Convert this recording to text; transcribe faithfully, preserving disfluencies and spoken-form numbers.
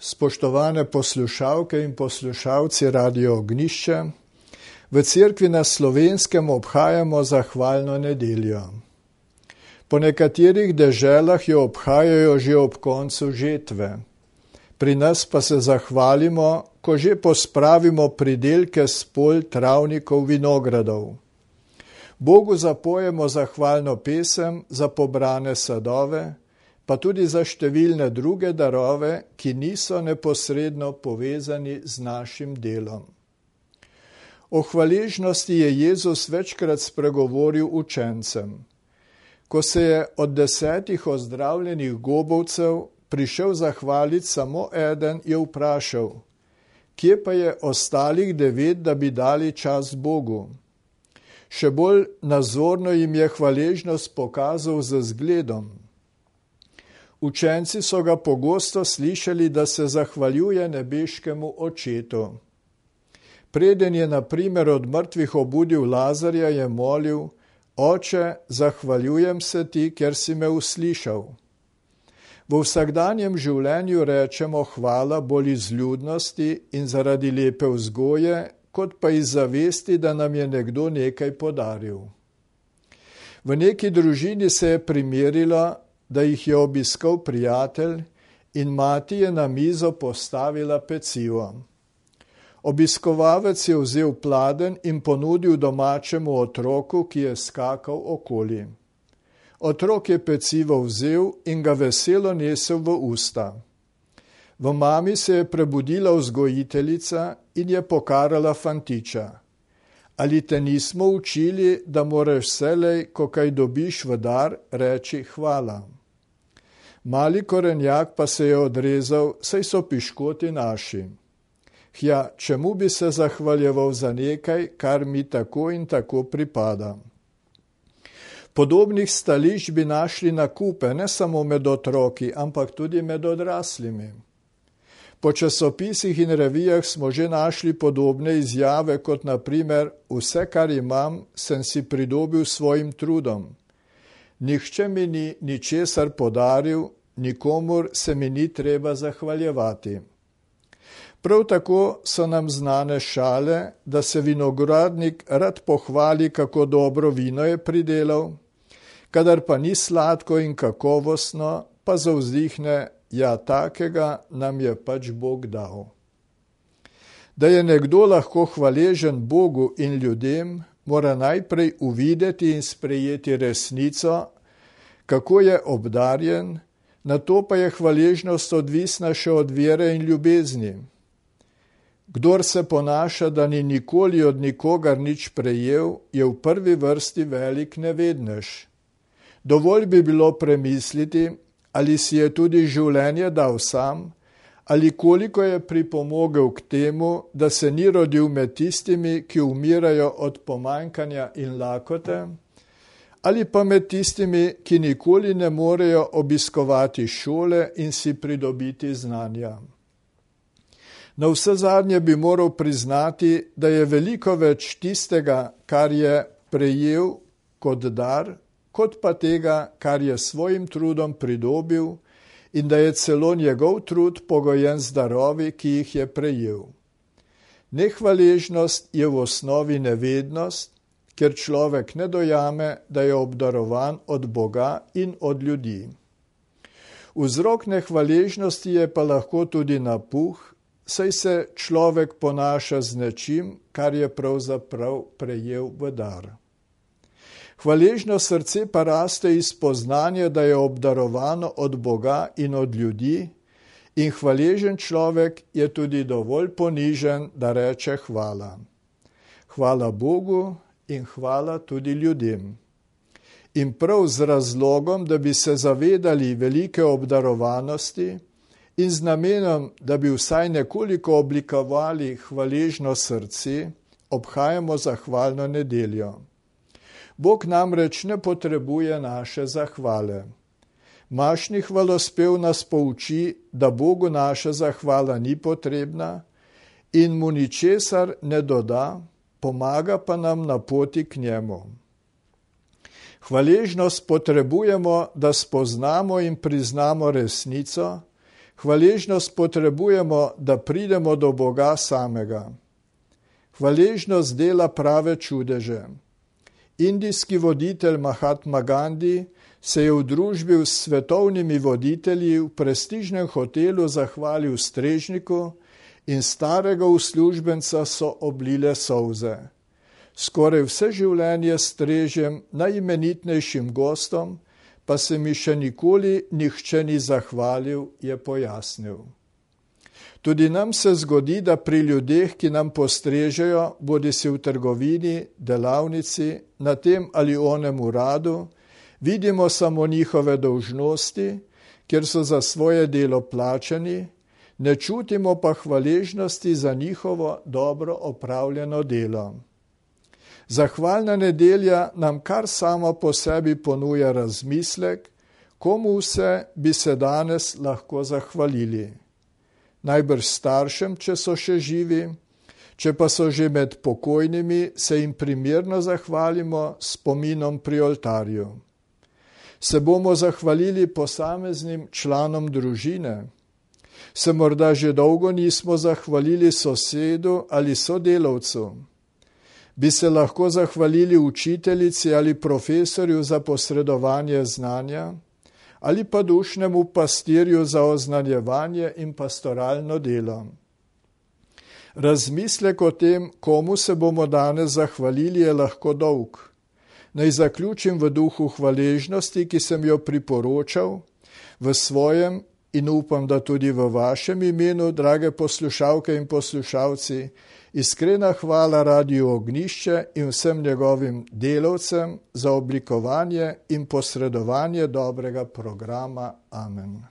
spoštovane poslušalke in poslušalci Radio Ognjišče. V cerkvi na Slovenskem obhajamo zahvalno nedeljo. Po nekaterih deželah jo obhajajo že ob koncu žetve. Pri nas pa se zahvalimo, ko že pospravimo pridelke s polj, travnikov, vinogradov. Bogu zapojemo zahvalno pesem za pobrane sadove, pa tudi za številne druge darove, ki niso neposredno povezani z našim delom. O hvaležnosti je Jezus večkrat spregovoril učencem. Ko se je od desetih ozdravljenih gobovcev prišel zahvaliti samo eden, je vprašal, kje pa je ostalih devet, da bi dali čas Bogu. Še bolj nazorno jim je hvaležnost pokazal z zgledom. Učenci so ga pogosto slišali, da se zahvaljuje nebeškemu Očetu. Preden je na primer od mrtvih obudil Lazarja, je molil, Oče, zahvaljujem se ti, ker si me uslišal. V vsakdanjem življenju rečemo hvala bolj iz ljudnosti in zaradi lepe vzgoje, kot pa iz zavesti, da nam je nekdo nekaj podaril. V neki družini se je primerilo, da jih je obiskal prijatelj in mati je na mizo postavila pecivo. Obiskovalec je vzel pladenj in ponudil domačemu otroku, ki je skakal okoli. Otrok je pecivo vzel in ga veselo nesel v usta. V mami se je prebudila vzgojiteljica in je pokarala fantiča. Ali te nismo učili, da moraš vselej, ko kaj dobiš v dar, reči hvala? Mali korenjak pa se je odrezal, saj so piškoti naši. Hja, čemu bi se zahvaljeval za nekaj, kar mi tako in tako pripada? Podobnih stališč bi našli na kupe, ne samo med otroki, ampak tudi med odraslimi. Po časopisih in revijah smo že našli podobne izjave, kot na primer, vse, kar imam, sem si pridobil svojim trudom. Nihče mi ni ničesar podaril, nikomur se mi ni treba zahvaljevati. Prav tako so nam znane šale, da se vinogradnik rad pohvali, kako dobro vino je pridelal, kadar pa ni sladko in kakovostno, pa zavzdihne, ja, takega nam je pač Bog dal. Da je nekdo lahko hvaležen Bogu in ljudem, mora najprej uvideti in sprejeti resnico, kako je obdarjen, nato pa je hvaležnost odvisna še od vere in ljubezni. Kdor se ponaša, da ni nikoli od nikogar nič prejel, je v prvi vrsti velik nevednež. Dovolj bi bilo premisliti, ali si je tudi življenje dal sam, ali koliko je pripomogel k temu, da se ni rodil med tistimi, ki umirajo od pomanjkanja in lakote, ali pa med tistimi, ki nikoli ne morejo obiskovati šole in si pridobiti znanja. Na vse zadnje bi moral priznati, da je veliko več tistega, kar je prejel kot dar, kot pa tega, kar je svojim trudom pridobil in da je celo njegov trud pogojen z darovi, ki jih je prejel. Nehvaležnost je v osnovi nevednost, ker človek ne dojame, da je obdarovan od Boga in od ljudi. Vzrok nehvaležnosti je pa lahko tudi napuh, saj se človek ponaša z nečim, kar je pravzaprav prejel v dar. Hvaležno srce pa raste iz spoznanja, da je obdarovano od Boga in od ljudi, in hvaležen človek je tudi dovolj ponižen, da reče hvala. Hvala Bogu in hvala tudi ljudem. In prav z razlogom, da bi se zavedali velike obdarovanosti in z namenom, da bi vsaj nekoliko oblikovali hvaležno srce, obhajamo zahvalno nedeljo. Bog namreč ne potrebuje naše zahvale. Mašni hvalospev nas pouči, da Bogu naša zahvala ni potrebna in mu ničesar ne doda, pomaga pa nam na poti k njemu. Hvaležnost potrebujemo, da spoznamo in priznamo resnico, Hvaležnost potrebujemo, da pridemo do Boga samega. Hvaležnost dela prave čudeže. Indijski voditelj Mahatma Gandhi se je v družbi s svetovnimi voditelji v prestižnem hotelu zahvalil strežniku in starega uslužbenca so oblile solze. Skoraj vse življenje strežem najimenitnejšim gostom, pa se mi še nikoli nihče ni zahvalil, je pojasnil. Tudi nam se zgodi, da pri ljudeh, ki nam postrežejo, bodisi v trgovini, delavnici, na tem ali onem uradu, vidimo samo njihove dolžnosti, ker so za svoje delo plačani, ne čutimo pa hvaležnosti za njihovo dobro opravljeno delo. Zahvalna nedelja nam kar sama po sebi ponuja razmislek, komu vse bi se danes lahko zahvalili. Najbrž staršem, če so še živi, če pa so že med pokojnimi, se jim primerno zahvalimo s spominom pri oltarju. Se bomo zahvalili posameznim članom družine? Se morda že dolgo nismo zahvalili sosedu ali sodelavcu? Bi se lahko zahvalili učiteljici ali profesorju za posredovanje znanja? Ali pa dušnemu pastirju za oznanjevanje in pastoralno delo? Razmislek o tem, komu se bomo danes zahvalili, je lahko dolg. Naj zaključim v duhu hvaležnosti, ki sem jo priporočal, v svojem in upam, da tudi v vašem imenu, drage poslušalke in poslušalci, iskrena hvala Radiu Ognjišče in vsem njegovim delavcem za oblikovanje in posredovanje dobrega programa. Amen.